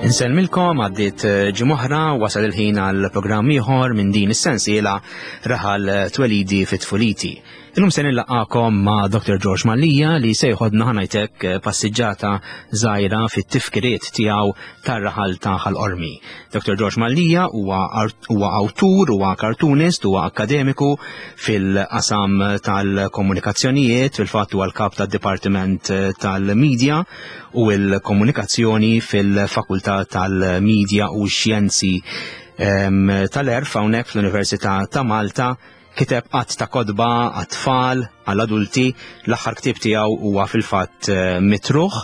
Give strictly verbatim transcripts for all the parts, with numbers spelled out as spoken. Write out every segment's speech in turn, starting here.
Insellmilkom, għaddiet eh, ġimgħa, wasal il-ħin għal programm ieħor minn din is-sensiela Raħal Twelidi fit-Tfuliti. Illum se nillaqakom ma' Doktor George Mallia li se jħodna, ħa ngħidlek, eh, passiġġata żgħira fit-tifkiriet tiegħu tar-raħal ta' Ħal Qormi. Doktor George Mallia huwa huwa awtur, huwa kartunist, huwa akademiku fil-qasam tal-komunikazzjonijiet, fil-fatt huwa l-kap tad-Dipartiment tal-Media u l-Komunikazzjoni fil-Fakultà tal-Media u Xjenzi tal-Għerf hawnhekk fl-Università ta' Malta. Kiteb għadd ta' kotba għat-tfal, għall-adulti, l-aħħar ktieb tiegħu huwa fil-fatt eh, Mitruħ,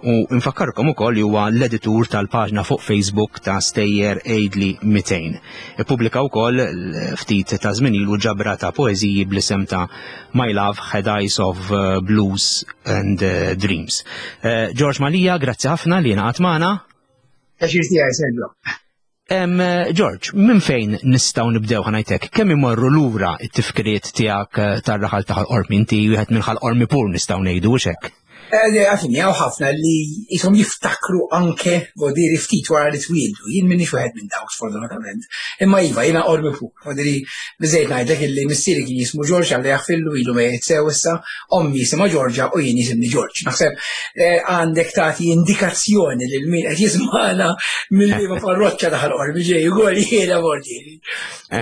u nfakkarkom ukoll li huwa l-editur tal-paġna fuq Facebook ta' Stejjer Għidli Mitejn. Ippubblika wkoll ftit ta' żmien ilu ġabra ta' poeżiji bl-isem ta' My Love Had Eyes of eh, Blues and eh, Dreams. George Mallia, grazzi ħafna li ngħaqadt magħna. Pjaċir tiegħi, Sergio. Em, George, minn fejn nistgħu nibdew, ħa ngħidlek, kemm imorru lura it-tifkiriet tiegħek eh, tar-raħal ta' Ħal Qormi? Inti wieħed minn Ħal Qormi pur, nistgħu ngħidu hekk. Għafini, hawn ħafna li jisom jiftakru anke vodiri ftit wara li twildu. Jien minni wieħed minn dawk, sfortunatament. Imma iva, jiena Qormi pur. Vodiri, biżejt ngħidlek illi missieri kien jismu George, Alla jaħfirlu, ilu mejjet sew issa, ommi jisimha Georgia u jien jisimni George. Naħseb eh, għandek tagħti indikazzjoni lil min qed jismana mill-liema parroċċa ta' Ħal Qormi ġej ukoll jiena vordieri.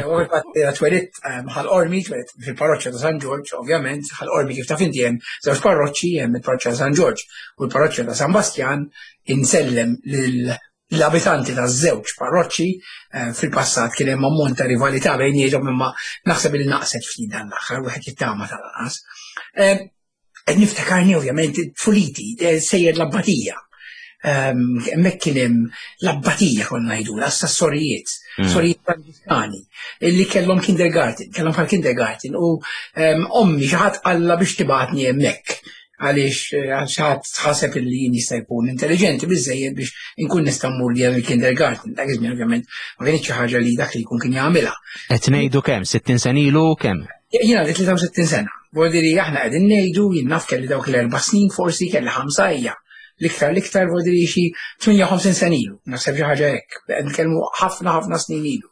U fil-fatt twelidt Ħal Qormi, twelidt fil-parroċċa ta' San George, ovvjament, Ħal Qormi kif taf inti hemm żewġ parroċċi, hemm il-parroċċa ta' San George u l-parroċċa ta' San Bastjan. Insellem l-abitanti ta' żewġ parroċċi. eh, fil-passat kien hemm ammont ta' rivalità bejniethom, imma naħseb li naqset ftit dan l-aħħar, wieħed jittama tal-anqas. Eh, Qed niftakarni ovvjament tfuliti, eh, sejjer l-abbatija. Hemmhekk kien hemm l-abbatija, konna ngħidu, s-sorijiet, Mm. sorijiet Franġiskani, illi kellhom kindergarten, kellhom bħal kindergarten u em, ommi xi ħadd qalla biex tibgħatni hemmhekk għaliex eh, għal xi ħadd ħaseb illi jien jista' jkun intelligenti biżejjed biex inkun nista' mmur li il-kindergarten. Dak iż-żmien ovvjament ma kienx xi ħaġa li dak li jkun kien jagħmilha. Qed ngħidu kemm, sittin sena ilu, kemm? Jiena għandi tlieta u sittin sena. Vuol aħna qegħdin ngħidu jien naf kelli dawk l-erba' snin, forsi kelli ħamsa hija. L-iktar l-iktar vuol xi tmienja u ħamsin sena ilu. Naħseb xi ħaġa hekk. Qed nitkellmu ħafna ħafna snin ilu.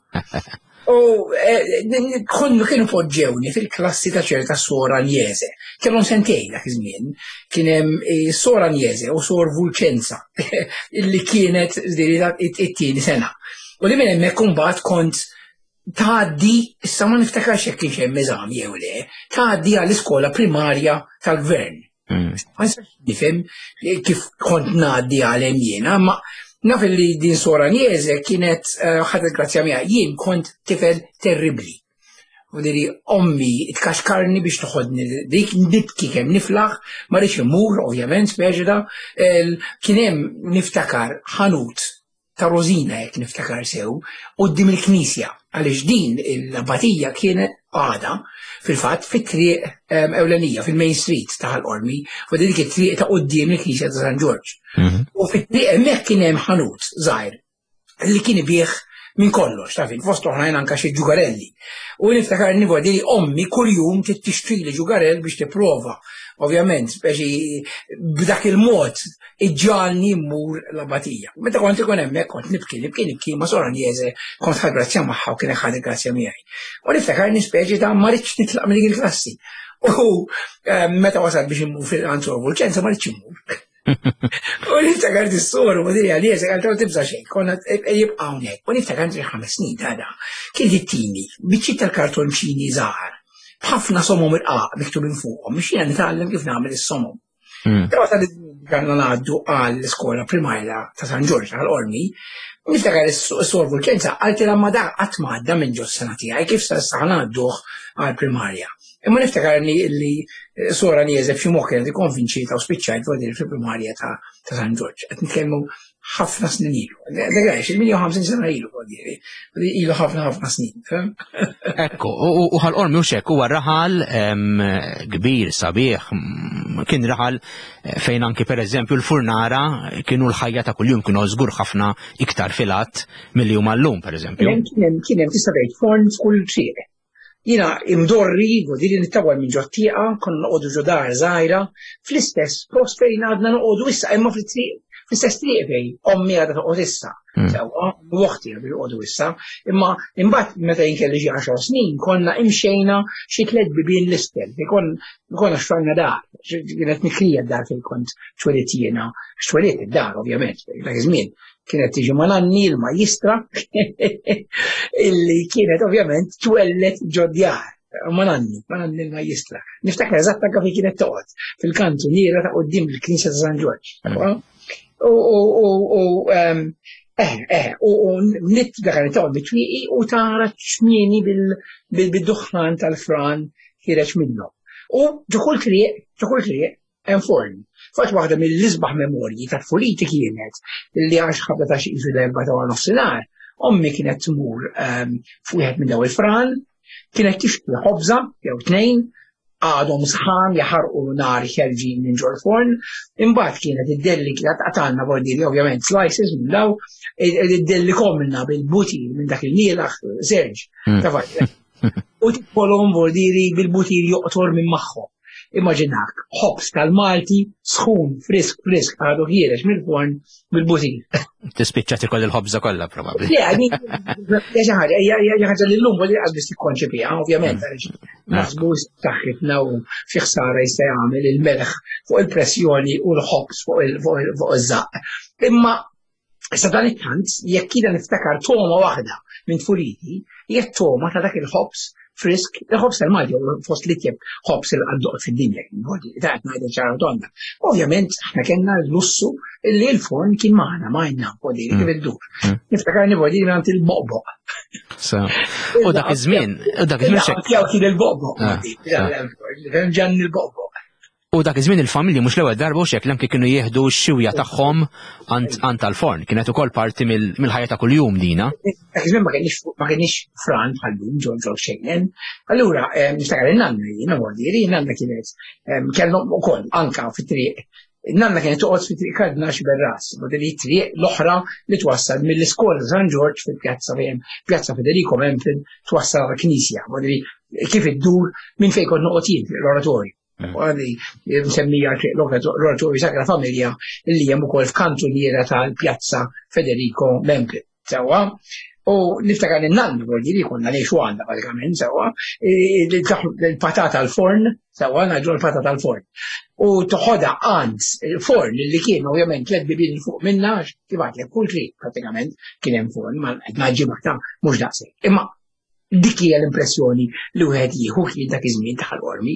U eh, konnu kienu poġġewni fil-klassi ta' ċerta Sora Agnese. Kellhom sentejn dak iż-żmien. Kien hemm eh, Sora Agnese u Sor Vulcenza illi kienet it-tieni sena. U li minn hemmhekk imbagħad kont tgħaddi, issa ma niftakarx jekk kienx hemm eżami jew le, tgħaddi għall-iskola primarja tal-gvern. Mm. Ma nistax nifhem kif kont ngħaddi għal hemm jiena, ma naf li din Sora Agnese kienet eh, ħadet grazzja miegħi. Jien kont tifel terribli. U diri ommi tkaxkarni biex toħodni dik, nibki kemm niflaħ, ma rridx immur, ovvjament, speċi da, el- kien hemm, niftakar, ħanut ta' Rosina, jekk niftakar sew, quddiem il-knisja, għaliex din l-abbatija kienet għada fil-fatt fit-triq em, ewlenija, fil-Main Street ta' Ħal Qormi, u dik it-triq ta' quddiem il-knisja ta' San Ġorġ. Mhm. U fit-triq hemmhekk kien hemm ħanut żgħir li kien ibih minn kollox, taf int, fost oħrajn anka xi ġugarelli. U niftakar nivodi li ommi kuljum tixtri li ġugarell biex tipprova. Ovvjament, speċi b'dak il-mod iġġagħalni mmur l-abbatija. Meta kont ikun hemmhekk kont nibki, nibki, nibki, ma Sora Agnese kont ħadt grazzja magħha u kien ħadt grazzja miegħi. U niftakar nispeċi ta' ma ridx nitlaq minn dik il-klassi. U eh, meta wasal biex immur għand Sor Vulcenza, ma ridx immur. U niftakar dis-soru, u diri għalija, għal tibża xejn, konna jibqa' hawnhekk. U niftakar xi ħames snin ta' da. Kien jittini biċċiet tal-kartonċini żgħar, b'ħafna somom irqaq miktubin fuqhom, biex jiena nitgħallem kif nagħmel is-somom. Mm. Però ta' kellna ngħaddu għall-iskola primarja ta' San Ġorġ għal Qormi, niftakar is-Sor Vulcenza qaltilha, "Ma da qatt ma għadda minn ġo sena tiegħi, kif sa issa ngħadduh għall-primarja?" Imma niftakar li li Sora Agnese b'xi mod kienet ikkonvinċietha u spiċċajt għadir fil-primarja ta' ta' San Ġorġ. Qed nitkellmu ħafna snin ilu. Dak il-tmienja u ħamsin sena ilu għadiri. Ilu ħafna ħafna snin. Fhem? Ekku, u u Ħal Qormi u xek, huwa raħal em, kbir, sabiħ, mm, kien raħal eh, fejn anki per eżempju l-furnara kienu l-ħajja ta' kuljum, kienu żgur ħafna iktar filat milli huma llum, per eżempju. Kien hemm kien hemm tista' tgħid forn f'kull triq. Jiena imdorri, għodiri nittawal minn ġot-tieqa, konna noqogħdu ġo dar żgħira, fl-istess post fejn għadna noqogħdu issa, imma fil-triq, Fl-istess triq fejn ommi għadha toqgħod issa. Mm. Sewwa, u oħti għadu joqogħdu issa, imma imbagħad meta jien kelli xi għaxar snin konna imxejna xi tliet bibien l-isfel, fejn kon konna xtrajna dar, kienet mikrija d-dar fejn kont twelidt jiena, x'twelidt id-dar ovvjament, dak iż-żmien kienet tiġi ma' nanni l-majjistra illi kienet ovvjament twellet ġod-djar. Ma' nanni, ma' nanni l-majjistra. Niftakar eżatt anke fejn kienet toqgħod fil-kantuniera ta' quddiem il-Knisja ta' San Ġorġ. Mm. U u u u ehm, eh eh u u nit dak li toqgħod bit-twieqi u tara ċmieni bil-duħħan tal-fran ħiereġ minnhom. U ġo kull triq, ġo kull triq hemm forn. Fatt waħda mill-isbaħ memorji ta' tfuliti kienet li għax ħabta ta' xi qisu l-erbgħa ta' nofsinhar, ommi kienet tmur ehm, f'wieħed minn daw il-fran, kienet tixtri ħobża jew tnejn, għadhom sħan jaħarqu nar ħerġin minn ġol forn, imbagħad kienet iddelli kienet qatalna bordiri ovvjament slices minn daw, iddellikomna bil-butir minn dak il-mielaħ serġ. Mm. Ta' fatt. U tikolhom bordiri bil-butir joqtor minn magħhom. Immaġinak, ħobż tal-Malti sħun, frisk, frisk, għadu ħiereġ mill-forn bil-butir. Tispiċċa tikol il-ħobża kollha probabbli. Le, I mean, hija xi ħaġa, hija hija ħaġa li llum li qas biss tikkonċepiha, ovvjament, għaliex naħsbu saħħitna u xi ħsara jista' jagħmel il-melħ fuq il-pressjoni u l-ħobż fuq il- fuq il- fuq iż-żaqq. Imma issa dan it-tant, jekk jiena niftakar toma waħda minn tfuliti, hija t-toma ta' dak il-ħobż frisk, il-ħobż tal-Malti huwa fost l-itjeb ħobż il għaddoq fid-dinja, ta' qed ngħidu ċara tonda. Ovvjament, aħna kellna l-lussu li l-forn kien magħna, magħna, podiri kif iddur. Mm. Niftakar nibodi minn il-boqboq. So, U dak iż-żmien, u dak iż-żmien xek- Jew kien il-boqboq. Ah, Ġan il-boqboq. U dak iż-żmien il-familji mhux l-ewwel darba u xek anke kienu jieħdu x-xiwja tagħhom għand għand tal-forn. Kienet ukoll parti mill- mill-ħajja ta' kuljum dina. Dak iż-żmien ma kienx ma kienx fran bħal-lum ġol ġol xejnen. Allura, eh, niftakar il-nanna jiena mordiri, nanna kienet em, kellhom ukoll anka fit-triq. Nanna kienet toqgħod fit-triq Kardinal Sciberras, modeli triq l-oħra li twassal mill-iskola San Ġorġ fil-pjazza fejn Pjazza Federico Mempin twassal għall-Knisja, modeli kif iddur minn fejn kont noqgħod jien l-oratorju. Mm. Għadi msemmija triq l-Oratorju Sagra Familja li hemm ukoll f'kantuniera tal-Pjazza Federico Mempin. Sewwa, u niftakar li nanna vuol li konna ngħixu għandha pratikament sewwa, il-patata al-forn, sewwa, ngħidu l-patata al-forn. U toħodha għand forn li kien ovvjament tliet bibien fuq minna, kif għedtlek kull triq pratikament kien hemm forn, ma qed ngħidġibha ta' mhux daqshekk. Imma dik hija l-impressjoni li wieħed jieħu kien dak iż-żmien ta' Ħal Qormi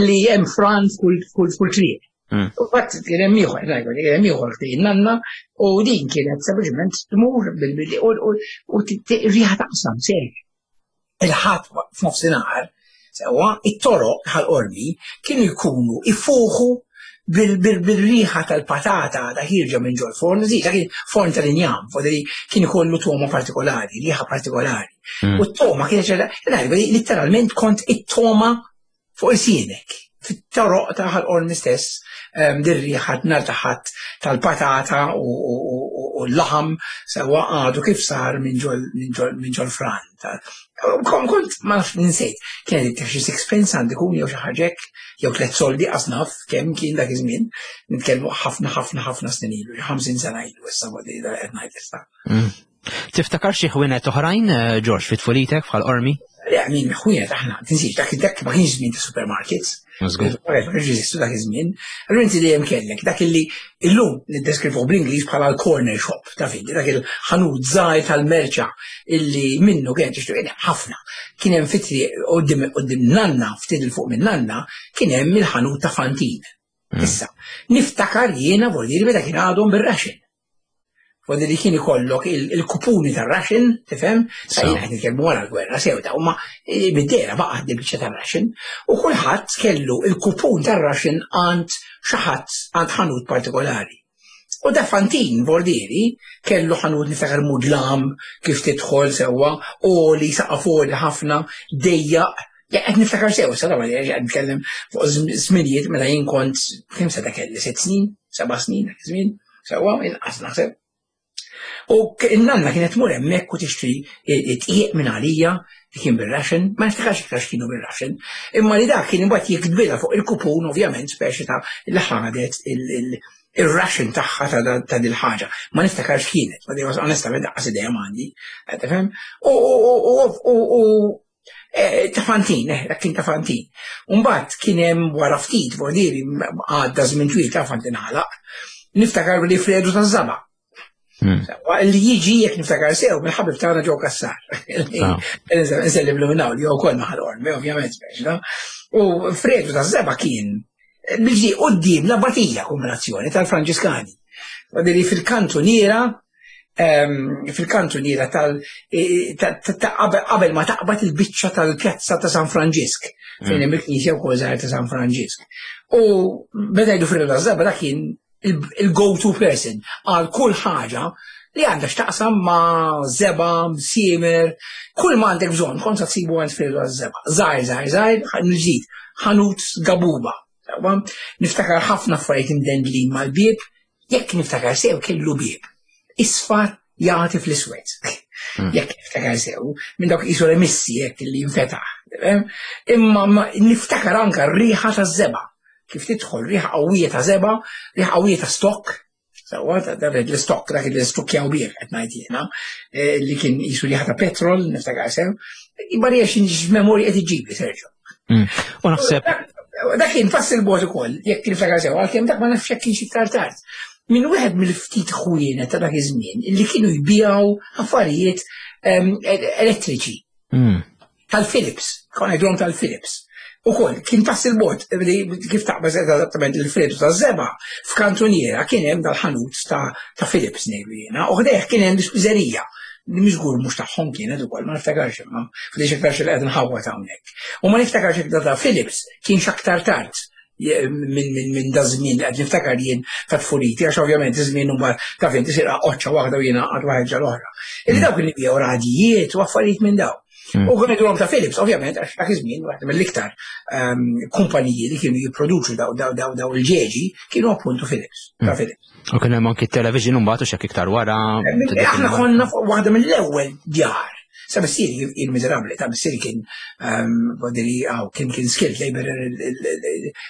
li hemm fran f'kull f'kull f'kull triq. Mm. U fatt kien hemm ieħor, ngħidu, kien hemm ieħor fejn nanna u din kienet sempliċement tmur bil-billi u u u riħa taqsam serj. Il-ħadd f'nofsinhar, sewwa, it-toroq Ħal Qormi kienu jkunu ifuħu bil-riħa tal-patata ta' ħierġa minn ġol forn, zi, dak kien forn tal-injam, foderi kien ikollu toma partikolari, riħa partikolari. Mm. U t-toma kienet ċerta, literalment kont it-toma fuq il-sienek, fit-toroq ta' Ħal Qormi stess, ehm, dir-riħa nhar ta' Ħadd tal-patata u u- u- u l-laħam sewwa għadu kif sar minn ġol minn ġol minn ġol fran. Ta- Kom kont ma nafx ninsejt, kienet xi sixpence għandi kun jew xi ħaġa hekk, jew tliet soldi qasnaf kemm kien dak iż-żmien, nitkellmu ħafna ħafna ħafna snin ilu, xi ħamsin sena ilu issa waqt qed ngħid issa. Mm. Tiftakar xi ħwienet oħrajn, eh, George, fit tfulitek f'Ħal Qormi? Le, min ħwienet aħna, tinsiex, dak dak ma kienx żmien ta' supermarkets. Żgur. Ma kienx jeżistu dak iż-żmien. Allura inti dejjem kellek dak illi illum niddeskrivu bl-Ingliż bħala l-corner shop ta' fidi, dak il-ħanut żgħir tal-merċa illi minnu kien tixtri ħafna. Kien hemm fitri qudiem qudiem nanna, ftit il fuq minn nanna, kien hemm il-ħanut ta' Fantin. Mm. Issa, niftakar jiena vuol dire meta kien għadhom bir-ration. Vuol dire li kien ikollok il- il-kupuni tar-ration, tifhem? Sa So. jiena qed nitkellmu wara l-gwerra sew ta' huma eh, bid-dera baqa' biċċa tar-ration u kulħadd kellu il-kupun tar-ration għand xi ħadd għand ħanut partikolari. U da Fantin Bordieri kellu ħanut niftakar mudlam kif tidħol sewwa u li saqaf għoli ħafna dejjaq. Ja, qed niftakar sew, sa dawra qed nitkellem fuq żminijiet meta jien kont kemm seta' kelli sitt snin, seba' snin, dak iż-żmien, sewwa inqas naħseb. U k- il-nanna kienet tmur hemmhekk u tixtri dqiq minn għalija li kien bir-ration, ma niftakarx iktar x'kienu bir-ration, imma li dak kien imbagħad jiktbilha fuq il-kupun ovvjament speċi ta' li ħadet il- il- Ir-ration tagħha ta' dil-ħaġa. Ma niftakarx kienet, ma onestament daqqas idea m'għandi, tifhem? U u eh, ta' Fantin, eh, dak kien ta' Fantin. Umbagħad kien hemm wara ftit, vuol għadda żmien twil ta' Fantin għalaq, niftakar li Fredu ta' Żaba. Hmm. Li jiġi jekk niftakar sew mill-ħabib tagħna ġew Kassar. Ah. Nsellimlu minn hawn li wkoll maħal Qormi, ovvjament speċi. U Fredu ta' Żeba kien biex quddiem l-abatija kombinazzjoni tal-Franġiskani. Għadili fil-kantuniera ehm, fil-kantuniera tal e, qabel ma taqbad il-biċċa tal-pjazza ta' San Franġisk, fejn hemm il-knisja wkoll żgħar ta' San Franġisk. U meta jgħidu Fredu ta' Żeba dak kien il-go-to person għal kull ħaġa li għandha x'taqsam ma' żeba, siemer, kull ma għandek bżonn, kont tsibu għand Fredu żeba. Żgħir, żgħir, żgħir, nġid, ħanut gabuba. Niftakar ħafna affarijiet imdendlin mal-bieb, jekk niftakar sew kellu bieb. Isfar jagħti fl-iswed. Hmm. Jekk niftakar sew, minn dawk qisu remissi jekk li jinfetaħ. Imma niftakar anka r-riħa ta' żeba. Kif tidħol riħa qawwija ta' żeba, riħa qawwija ta' stock, Sewwa, l-stock, dak li stukkjaw bih qed ngħid jiena, eh, li kien qisu riħa ta' petrol, niftakar sew. Barja xi memorja qed iġibli, Sergio. Hmm. U naħseb Dak kien pass il-bogħod ukoll, jekk niftakar sew, għalkemm dak ma nafx jekk kienx iktar tard. Minn wieħed mill-ftit ħwienet ta' dak iż-żmien li kienu jbijaw affarijiet ehm, elettriċi. Hmm. Tal-Philips, kon ngħidulhom tal-Philips. Ukoll, kien pass il-bogħod, kif taqbeż eżattament il-Philips ta' żeba, f'kantuniera kien hemm dal-ħanut ta' Philips ngħidu jiena, u ħdejh kien hemm l-ispiżerija li miżgur mhux tagħhom kienet ukoll, ma niftakarx imma, f'dix iktar xi qed nħawwad hawnhekk. U ma niftakarx jekk ta' Philips kienx aktar tard minn min, min da żmien li qed niftakar jien ta' tfuliti, għax ovvjament iż-żmien imbagħad ta' fejn tisir qoċċa waħda u jiena għad waħed l-oħra. Illi dawk li biegħu radijiet u affarijiet minn daw. Mm. U kien ta' Philips, ovvjament, għax dak iż-żmien waħda mill-iktar ehm, kumpaniji li kienu jipproduċu daw daw daw daw il-ġeġi kienu appuntu Philips, ta' mm. Philips. U kien hemm anki television mbagħad u xek iktar wara. Eh, aħna konna waħda mill-ewwel djar. Sa missieri il-miżerabbli, ta' missieri kien ehm, vodiri għaw, kien kien skilled labor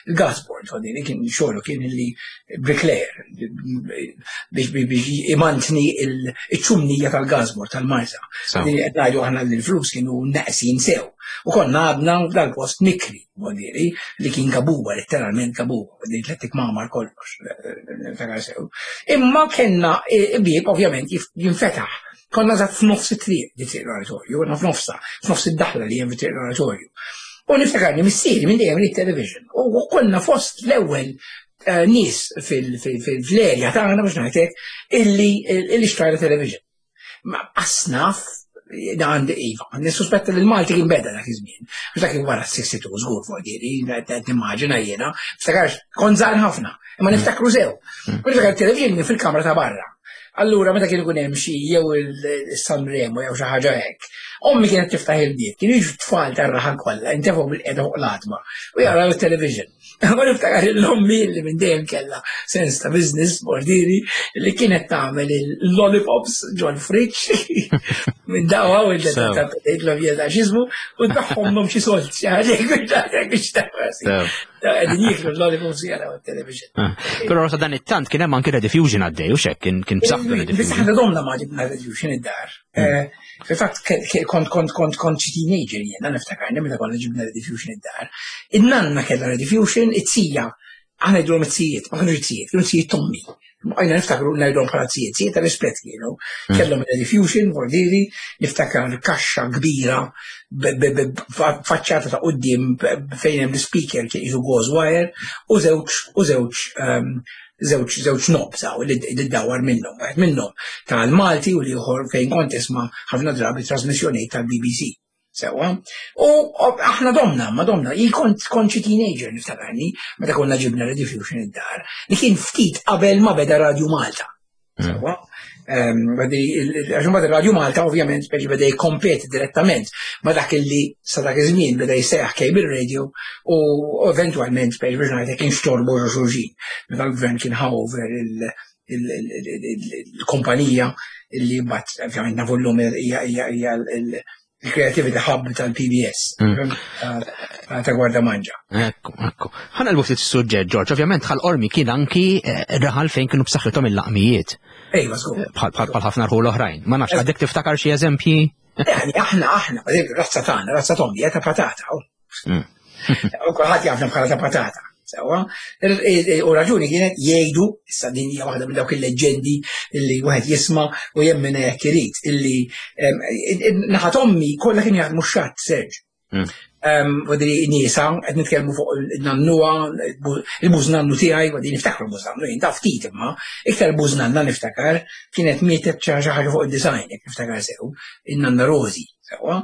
il-gasport, vodiri kien xogħlu kien li bricklayer biex biex imantni il-ċumnija tal-gasport tal-Marsa. Vodiri qed ngħidu aħna li l-flus kienu neqsin sew. U konna għadna dal-post mikri, vodiri, li kien kabuba, letteralment kabuba, vodiri tlettik mamar kollox, sew. Imma kellna bieb ovvjament jinfetaħ. Konna za f'nofs it-triq di triq l-oratorju, konna f'nofsa, f'nofs id-daħla li hemm fi triq l-oratorju. U niftakarni missieri minn dejjem li television. U konna fost l-ewwel eh, nies fil-erja tagħna biex ngħidlek illi illi xtrajna television. Ma asnaf għandi iva, nissuspetta li l-Malti kien beda dak iż-żmien. Għax dak kien wara s-sixty-two żgur fuq diri, qed nimmaġina jiena, niftakarx kont żgħar ħafna, imma niftakru sew. U niftakar television kien fil-kamra ta' barra. Allura meta kien ikun hemm xi jew il-San Remo jew xi ħaġa hekk, ommi kienet tiftaħ il-bieb, kienu jiġu tfal tar-raħal kollha, intefgħu bil-qiegħda fuq l-għatma u jaraw it-television. Ma niftakar l-ommi li minn dejjem kellha sens ta' business bordiri li kienet tagħmel il-lollipops ġol friġġ minn dawa u l x'ismu u tagħhom xi solt xi ħaġa biex tagħmel. Qegħdin jieklu l-lollipops jaraw it-television. Ah. Però sa dan it-tant kien hemm anke Rediffusion għaddej u xek kien kien b'saħħtu Rediffusion. Biss aħna domna ma ġibna Rediffusion id-dar. Hmm. Eh, fil-fatt kont kont kont kont xi teenager jiena niftakarni meta konna ġibna Rediffusion id-dar. In-nanna kellha Rediffusion, it-tija, aħna ngħidulhom it-tijiet, ma kienux it-tijiet, kienu tijiet tommi. Għajna niftakru ngħidulhom bħala tijiet, tijiet ta' rispett kienu. Hmm. Kellhom Rediffusion, vordiri, niftakar kaxxa kbira faċċata ta' quddiem fejn hemm l-speaker kien jisu gauze wire u żewġ u żewġ ehm, żewġ żewġ knobs hawn li ddawwar minnhom, wieħed minnhom tal-Malti u l-ieħor fejn kont tisma' ħafna drabi trasmissjonijiet tal-B B C. Sewwa. U aħna domna, ma domna, jien kont kont xi teenager niftakarni meta konna ġibna Rediffusion id-dar, li kien ftit qabel ma beda Radio Malta. Hmm. Sewwa. Ehm, għax imbagħad Radio Malta ovvjament speċi beda jikkompeti direttament ma dak illi sa dak iż-żmien beda jsejjaħ cable radio u eventwalment speċi biex ngħidlek kien xtorbu xulxin. Meta l-gvern kien ħa over il-kumpanija illi mbagħad ovvjament nafu llum hija hija Il-Creativity Hub tal-P B S Mm. ta' ta' Gwardamanġa. Ekku, ekku. Ħa naqilbu ftit suġġett, George. Ovvjament Ħal Qormi kien anki eh, raħal fejn kienu b'saħħithom il-laqmijiet. Ejwa, żgur. Bħal bħal bħal ħafna rħul oħrajn. Ma nafx, għadek tiftakar xi eżempji? Yani aħna, aħna, per eżempju, razza tagħna, razza t'ommi, ta' patata. oh. Mm. U kulħadd jafna bħala ta' patata. Sewwa, u raġuni kienet jgħidu, issa din hija waħda minn dawk il-leġendi illi wieħed jisma' u jemmen jekk irid, illi em, naħa t'ommi kollha kienu jaħdmu x-xatt, Serġ. Mm. U di nisa, qed nitkellmu fuq il-nannuwa, il-bużnannu tiegħi, u di niftakru l-bużnannu, jien taf ftit imma, iktar bużnanna niftakar, kienet mietet xi ħaġa fuq id-disgħin, jekk niftakar sew, il-nanna Rosi, sewwa,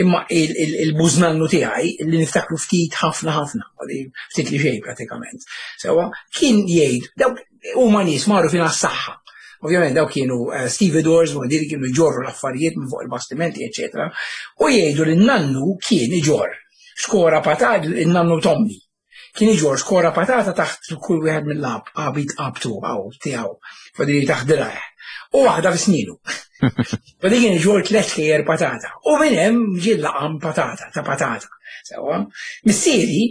imma il-bużnannu tiegħi li niftakru ftit ħafna ħafna, u di ftit li xejn pratikament, sewwa, kien jgħid, dawk huma nies magħrufin għas-saħħa. Ovvjament dawk kienu uh, stevedores, u li kienu jġorru l-affarijiet minn fuq il-bastimenti, eccetera. U jgħidu li n-nannu kien iġorr xkora patata, il-nannu t'ommi. Kien iġorr xkora patata taħt kull wieħed mill-lab, qabit qabtu, għaw, tiegħu, fadi taħt dirajh. U waħda fi sninu. Fadi kien iġorr tliet xkejjer patata. U minn hemm ġie laqam patata, ta' patata. Sewwa. Missieri,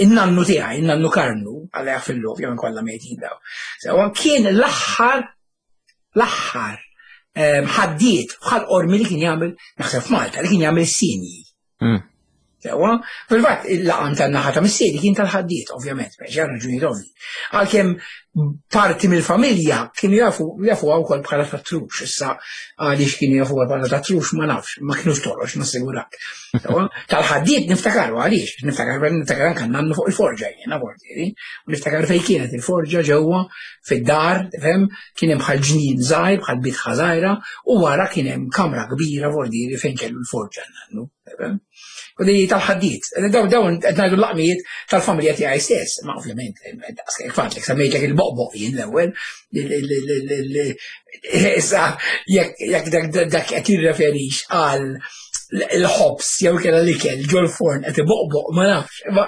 in-nannu tiegħi, in-nannu Karnu, għalla jaħfirlu, jew kollha mejtin daw. Sewwa, kien l-aħħar l-aħħar ehm, ħaddied bħal Qormi li kien jagħmel, naħseb f'Malta, li kien jagħmel sinji. Mm. Sewwa, fil-fatt il-laqam tan-naħa ta' missieri kien tal-ħaddied, ovvjament, biex raġuni ovvi. Għalkemm parti mill-familja kienu jafu jafu wkoll bħala tat-trux, issa għaliex kienu jafu bħala tat-trux ma nafx, ma kienux torox, nassigurak. Sewwa, tal-ħaddied niftakaru għaliex, niftakar niftakar anke nannu fuq il-forġa jiena vortieri, u niftakar fejn kienet il-forġa ġewwa fid-dar, tifhem, kien hemm bħal ġnien żgħir, bħal bitħa żgħira, u wara kien hemm kamra kbira vortieri fejn kellu l-forġa nannu, tifhem. U di tal-ħaddied, daw dawn qed ngħidu l-laqmijiet tal-familja tiegħi stess, ma ovvjament, daqs fatlek semmejtlek il-boqboq jien l-ewwel, issa jekk jekk dak dak qed jirreferix għal il-ħobs jew kella l-ikel ġol-forn qed iboqboq, ma nafx, ma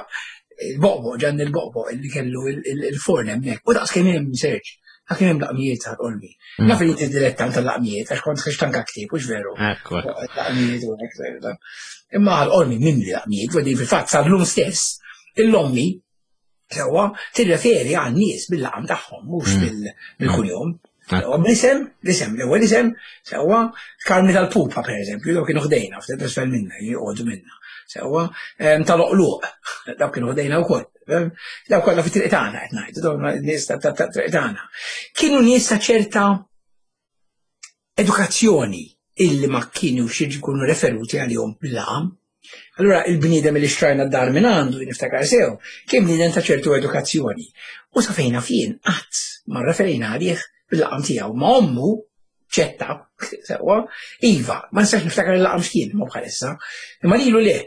il-boqboq ġan il-boqboq illi kellu il-forn hemmhekk. U daqs kemm hemm, Serġ, dak kemm hemm laqmijiet tal-Qormi. Mm. Naf li inti dilettant tal-laqmijiet għax kont ħriġt anke ktieb, hux veru? Ekku. Laqmijiet u hekk. Imma Ħal Qormi mimli laqmijiet, u fil-fatt sal-lum stess, il-lommi sewwa tirreferi għal nies bil-laqam tagħhom, mhux Mm. bil- bil-kunjom. Sewwa bl-isem, l-isem, l-ewwel isem, sewwa Karmi tal-Pupa pereżempju, dawk kienu ħdejna, ftit isfel minna, joqogħdu minna. Sewwa em, tal-Oqluq, dawk kienu ħdejna wkoll. Em, Dawk kollha fit-triq tagħna qed ngħidu, dawk nies ta' ta' ta' triq tagħna. Kienu nies ta' ċerta edukazzjoni illi ma kienu jkunu referuti għalihom bil-laqam. Allura il-bniedem li xtrajna d-dar minn għandu, niftakar sew, kien bniedem ta' ċertu edukazzjoni. U sa fejna fien, qatt ma referejna għalih bil-laqam tiegħu. Ma ommu, ċetta, sewwa, iva, ma nistax niftakar il-laqam x'kien ma bħalissa, imma lilu le,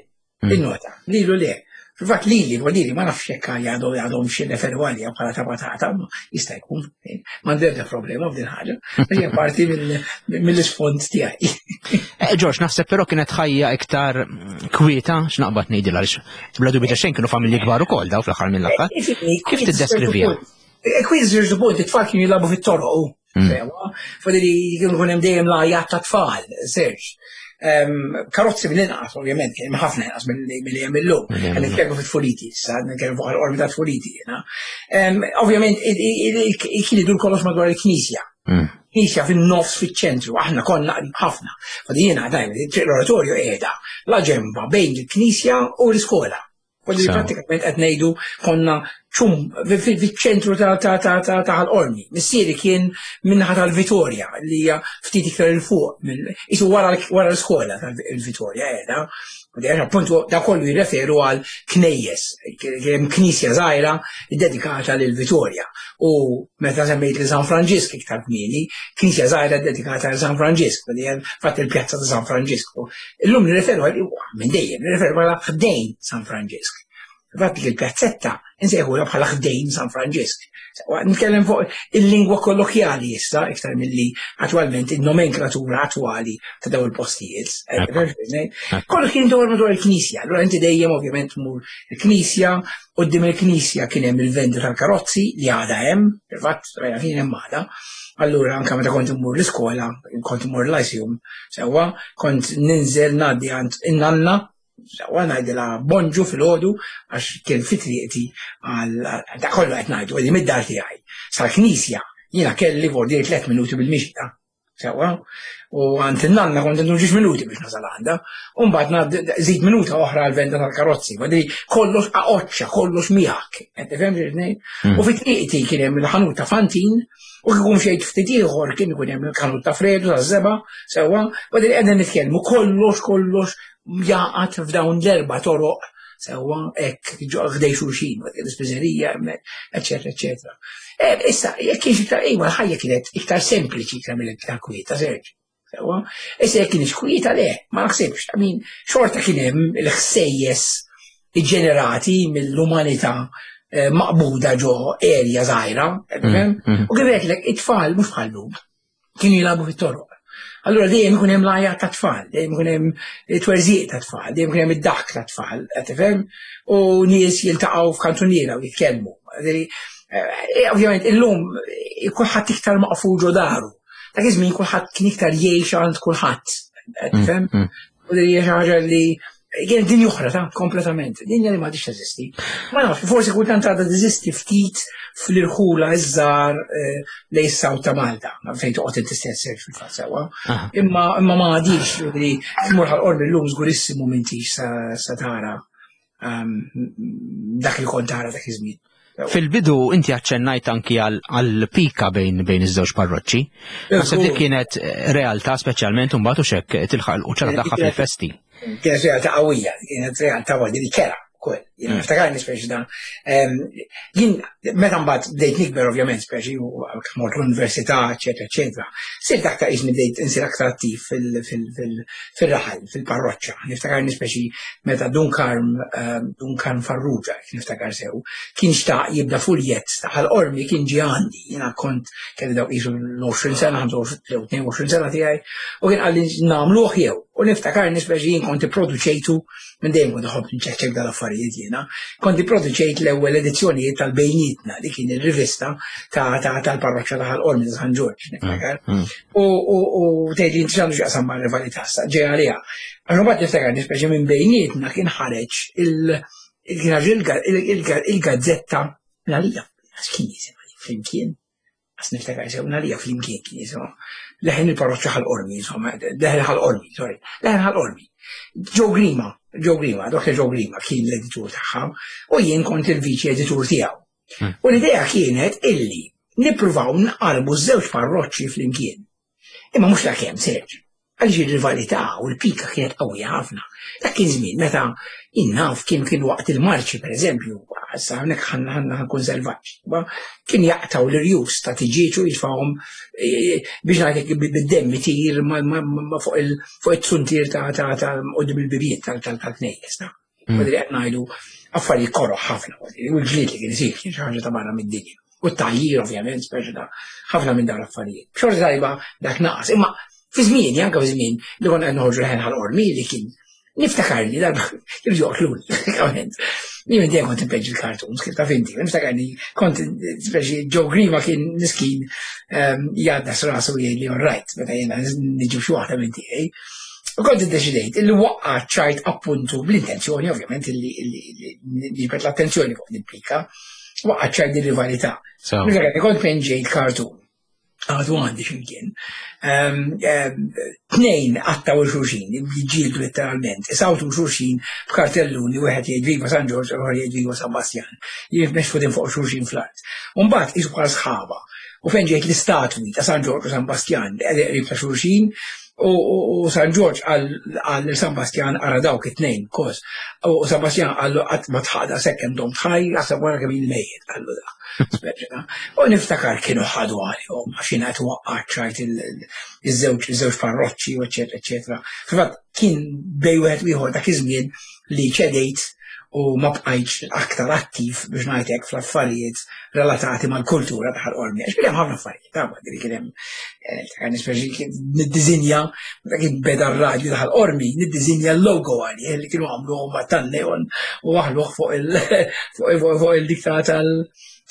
Mm. il-nota, lilu le. Fil-fatt lili, lili, ma nafx jekk għadhom għadhom xi referu għalija bħala ta' patata, ma jista' jkun, m'għandi ebda problema f'din ħaġa, għax hija parti mill- mill-isfond tiegħi. Eh, George, naħseb però kienet ħajja iktar mm, kwieta, x'naqbad ngħidilha għaliex bla dubju ta' xejn kienu familji kbar ukoll daw fl-aħħar mill-aħħar. Kif tiddeskriviha? Kwiet ċertu punt, it-tfal kienu jilagħbu fit-toroq. Mm. Sewwa, fadili kienu jkun hemm dejjem l-għajat ta' tfal, Serġ. Em, Karozzi mill-inqas, ovvjament, kien hemm ħafna inqas milli milli hemm illum. Milli hemm Qed illum. nitkellmu fit-tfuliti issa, nitkellmu fuq l-qormi ta' tfuliti jiena. Em, Ovvjament, kien idur kollox madwar il-knisja. Mm. Knisja fin-nofs fiċ-ċentru, aħna konna qrib ħafna. Fadi jiena dajma, l-oratorju qiegħda la ġemba bejn il-knisja u l-iskola. Fadi Sew. prattikament qed ngħidu konna ċum fiċ-ċentru ta' ta' ta' ta' ta' Ħal-Qormi. Missieri kien minnaħa tal-Vitorja li hija ftit iktar 'il fuq minn isu wara wara l-iskola tal-Vitorja qiegħda. U di appuntu da kollu jirreferu għal knejjes, kien hemm knisja żgħira dedikata lil Vitorja. U meta semmejt li San Franġisk iktar kmieni, knisja żgħira dedikata għal San Franġisk, li hemm fatt il-pjazza ta' San Franġisk. Illum nirreferu għal minn dejjem, nirreferu għal ħdejn San Franġisk. Fatt li l-pjazzetta insejħulha bħala ħdejn San Franġisk. Nitkellem fuq il-lingwa kollokjali issa, iktar milli attwalment il-nomenklatura attwali ta' daw il-postijiet. Kollu kien dwar madwar il-knisja, allura inti dejjem ovvjament mur il-knisja, quddiem il-knisja kien hemm il-vendor tal-karozzi li għadha hemm, fil-fatt rajna kien hemm għadha. Allura anke meta kont immur l-iskola, kont immur l-Lyceum, sewwa, kont ninżel ngħaddi għand in-nanna, sewwa, ngħidilha bonġu filgħodu għax kien fi triqti għal da kollu qed ngħidu li mid-dar tiegħi. Sal-knisja jiena kelli vordier tliet minuti bil-mixja. Sewwa, u għand in-nanna kont indur ġiex minuti biex nasal għandha, u mbagħad żid minuta oħra għal-venda tal-karozzi, madri kollox aqoċċa, kollox miegħek. Qed tifhem xi ngħid? Mm. U fi triqti kien hemm il-ħanut ta' Fantin, u kieku mxejt ftit ieħor kien ikun hemm il-ħanut ta' Fredu ta' Zeba, sewwa, madri qegħdin nitkellmu kollox kollox jaqgħad f'dawn l-erba' toroq sewwa hekk ħdej xulxin, l-ispiżerija hemmhekk, eċetera, eċetera. Eh, Issa, jekk kienx iktar, iva, l-ħajja kienet iktar sempliċi iktar mill-iktar kwieta, Serġ. Sewwa, issa jekk kienx kwieta le, ma naħsibx, I mean, xorta kien hemm il-ħsejjes ġenerati mill-umanità eh, maqbuda ġo erja żgħira, Mm, mm. U kif għedtlek, it-tfal mhux bħallum, kienu jilagħbu fit-toroq. Allura dejjem ikun hemm l-għajat ta' tfal, dejjem ikun hemm twerżiq ta' tfal, dejjem ikun hemm id-daħk ta' tfal, qed tifhem? U nies jiltaqgħu f'kantuniera u jitkellmu. Ġifieri, eh, Ovvjament illum eh, kulħadd iktar maqful ġo daru. Dak iż-żmien kulħadd kien iktar jgħix għand kulħadd. Qed tifhem? Mm, mm. U li hija xi ħaġa li kienet dinja oħra ta' kompletament, dinja li m'għadix teżisti. Ma nafx, forsi kultant għadha teżisti ftit fl-irħula iż-żgħar eh, lejn is-south ta' Malta, fejn toqgħod inti stess fil-fatt sewwa. Aha. Imma imma ma għadix li tmur Ħal Qormi llum żgurissimu m'intix sa, sa tara um, dak li kont tara dak iż-żmien. Fil-bidu inti aċċennajt anki għal pika bejn bejn iż-żewġ parroċċi. Naħseb dik kienet eh, realtà speċjalment imbagħad u xek tilħaq l-quċċata tagħha fil-festi. Kienet realtà qawwija, kienet realtà waħda li kera ukoll. Jien Mm. niftakarni speċi da. Em, Jien meta mbagħad bdejt nikber ovvjament speċi u mort l-università, eċetera, eċetera. Sirt aktar ismi bdejt insir aktar attiv fil- fil- fil- fil-raħal, fil-parroċċa. Niftakarni speċi meta Dun Karm, em, Dun Karm Farrugia, niftakar sew, kien xtaq jibda fuljett ta' Ħal Qormi kien ġi għandi. Jiena kont kelli dawk qisu l-għoxrin sena, tnejn u għoxrin sena tiegħi, u kien qalli nagħmluh jew. U niftakarni speċi jien kont ipproduċejtu minn dejjem kont iħobb nċekċek dal-affarijiet jiena. Kont ipproduċejt l-ewwel edizzjonijiet tal-Bejnietna li kien ir-rivista ta' ta' tal-parroċċa ta' Ħal Qormi ta' San Ġorġ, niftakar. Mm. U u u tgħid li inti x'għandu x'jaqsam ma' rivalità sa ġej għaliha. Għax mbagħad niftakar nispeċi minn Bejnietna kien ħareġ il il- kien ħareġ il- il- il-gazzetta għalija. Kien jisimha Flimkien. Għas niftakar sew għalija Flimkien kien jisimha. Leħen il-parroċċa Ħal Qormi, insomma, Leħen Ħal Qormi, sorry, Leħen Ħal Qormi. Joe Grima, Joe Grima, Doktor Joe Grima kien l-editur tagħha u jien kont il-viċi editur tiegħu. Hmm. U l-idea kienet illi nippruvaw nqarbu żewġ parroċċi flimkien. Imma mhux ta' kemm, Serġ. Għaliex ir-rivalità u l-pika kienet qawwija ħafna. Dak kien żmien meta innaf kien kien waqt il-marċi, per eżempju, issa hawnhekk ħanna ħanna ħankun selvaġġ. Ba, kien jaqtaw l-irjus ta' tiġieġ u jitfawhom eh, biex ngħidlek bid-demm itir ma- ma- ma- fuq il- fuq it-suntier ta' ta' ta' qudiem il-bibiet tal-knejjes. ta' Mm. Madri qed ngħidu affarijiet koroh ħafna, u l-ġlied li kien isir kien xi ħaġa ta' barra mid-dinja. U t-tajjir ovvjament, speċi ta' ħafna minn dawn l-affarijiet. B'xorta tajba dak naqas. Imma fi żmien, anke fi żmien li konna qed noħorġu Leħen Ħal Qormi li kien niftakar li darba kienu joqtluni, pratikament. Jien minn dejjem kont inpeġġi l-cartoons, kif taf inti. Niftakar li kont speċi Joe Grima kien miskin ehm, jgħaddas rasu jgħid li all right, meta jiena niġi xi waħda minn tiegħi. U kont iddeċidejt illi waqqa ċajt appuntu bl-intenzjoni, ovvjament, illi niġbed l-attenzjoni fuq din pika, waqqa ċajt din rivalità. So, Niftakar li kont penġejt cartoon. Għadu għandi ximkien. Ehm, ehm, Tnejn qattgħu 'l xulxin, jiġġieldu letteralment, isawtu xulxin b'kartelluni, wieħed jgħid "Viva San Ġorġ" u ieħor jgħid "Viva San Bastjan". Jimxu fuq xulxin fl-art. U mbagħad qisu bħal sħaba. U fejn ġejt l-istatwi ta' San Ġorġ u San Bastjan li qegħdin qrib ta' xulxin, u, u, u San Ġorġ qal lil San Bastjan ara dawk it-tnejn, kos. U San Bastjan qallu qatt ma tħaqda sekkem dom tħaj, għasab wara kemm il-mejjet, qallu da. Speċi ta' U niftakar kienu ħadu għalihom, għax jiena qed waqqaċ iż-żewġ iż-żewġ parroċċi, u eċetera, eċetera. Fil-fatt kien bejn wieħed u ieħor dak iż-żmien li ċedejt u ma bqajtx aktar attiv biex ngħidlek fl-affarijiet relatati mal-kultura ta' Ħal Qormi. Għax kien hemm ħafna affarijiet, ta' dik kien hemm eh, nispeċi kien niddiżinja meta kien beda r-radju ta' Ħal Qormi, niddiżinja l-logo għalih li kienu għamlu huma tan-neon u waħluh fuq il fuq fuq il-dik ta' tal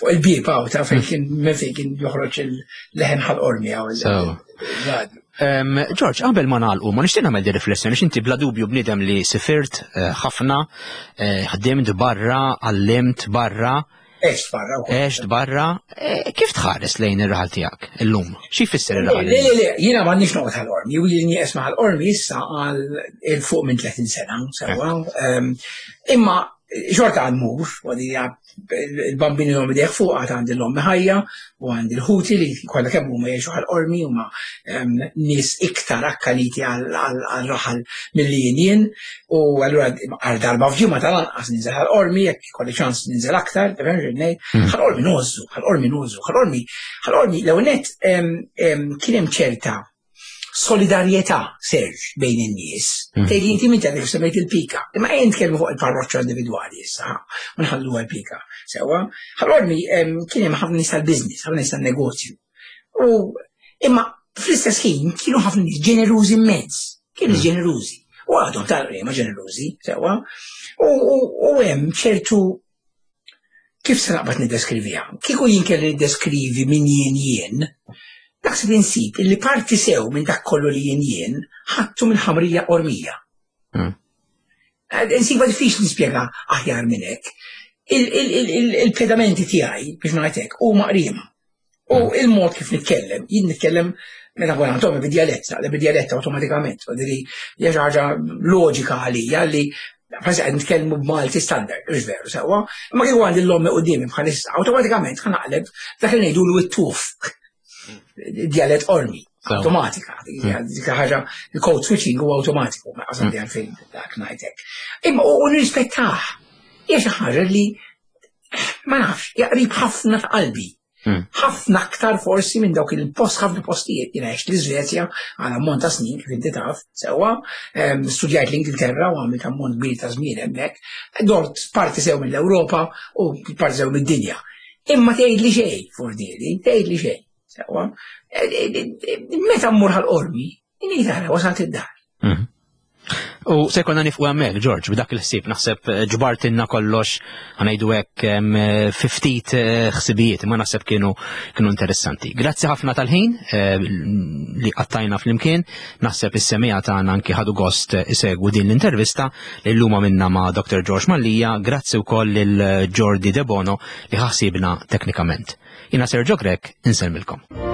Fuq il-bieb hawn ta' fejn kien minn fejn kien joħroġ il-leħen Ħal Qormi hawn il-radju. George, qabel ma nagħlqu, ma nixtieq nagħmel di riflessjoni, inti bla dubju bniedem li sifirt eh, ħafna, eh, ħdimt barra, għallimt barra. Għext barra. Għext barra. Eh, kif tħares lejn ir-raħal tiegħek illum? Xi jfisser ir-raħal? Le, le, le, jiena m'għandix noqgħod Ħal Qormi, u jien nisma' Ħal Qormi issa għal 'il fuq minn tletin sena, sewwa. Imma xorta għad mmur, il-Bambin l-ommi deħ fuq, għad għandi l-ommi ħajja, u għandi l-ħuti li kollha kemm huma jgħixu Ħal Qormi, huma nies iktar akkaniti għal-raħal milli jien jien, u allura għal darba f'ġimgħa tal-anqas ninżel Ħal Qormi, jekk ikolli ċans ninżel aktar, tifhem x'ngħid, Ħal Qormi ngħożżu, Ħal Qormi ngħożżu, Ħal Qormi, Ħal Qormi, l-ewwel nett kien hemm ċerta solidarjetà, Serge, bejn in-nies. Tgħid inti minn tgħidlek semmejt il-pika. Imma ejja nitkellmu fuq il-parroċċa individwali issa, u nħalluha l-pika. Sewwa, Ħal Qormi kien hemm ħafna nies tal-business, ħafna nies tan-negozju. U imma fl-istess ħin kienu ħafna nies ġenerużi immens. Kienu ġenerużi. U għadhom tal-qrema ġenerużi, sewwa. U hemm ċertu kif se naqbad niddeskriviha? Kieku jien kelli niddeskrivi min jien jien, naħseb insib illi parti sew minn dak kollu li jien jien ħadtu minn ħamrija Qormija. Insiba diffiċli nispjega aħjar minn hekk. Il-pedamenti tiegħi biex ngħid hekk huma qriema. U il-mod kif nitkellem, jien nitkellem meta nkun għand ommi bid-djalett, naqleb bid-djalett awtomatikament, diri hija xi ħaġa loġika għalija li bħalissa qed nitkellmu b'Malti standard, mhux veru sewwa, imma kieku għandi l-ommi quddiemi bħalissa, awtomatikament ħa naqleb dak li ngħidulu it-tuf. Djalett Qormi, automatika, dik ħaġa, il-code switching huwa automatiku, ma qasam għalfejn dak ngħidlek. Imma u nirrispettah, hija xi ħaġa li ma nafx, jaqrib ħafna ta' qalbi. Ħafna aktar forsi minn dawk il-post, ħafna postijiet. Jiena għext l-Iżvezja għal ammont ta' snin, kif inti taf, sewwa, studjajt l-Ingilterra u għamilt ammont kbir ta' żmien hemmhekk, dort parti sew mill-Ewropa u parti sew mid-dinja. Imma tgħid li xejn, fordieli, tgħid li xejn. Sewwa, meta mmur Ħal Qormi, inni tara wasalt id-dar. U se jkollna nieqfu hemmhekk, George, b'dak il-ħsieb naħseb ġbartilna kollox ħa ngħidu hekk fi ftit ħsibijiet, imma naħseb kienu kienu interessanti. Grazzi ħafna tal-ħin li qattajna flimkien, naħseb is-semmiegħa tagħna anki ħadu gost isegwu din l-intervista li llum għamilna ma' Doctor George Mallia, grazzi wkoll lil Jordi De Bono li ħasibna teknikament. Jiena Sergio Grech, insellmilkom.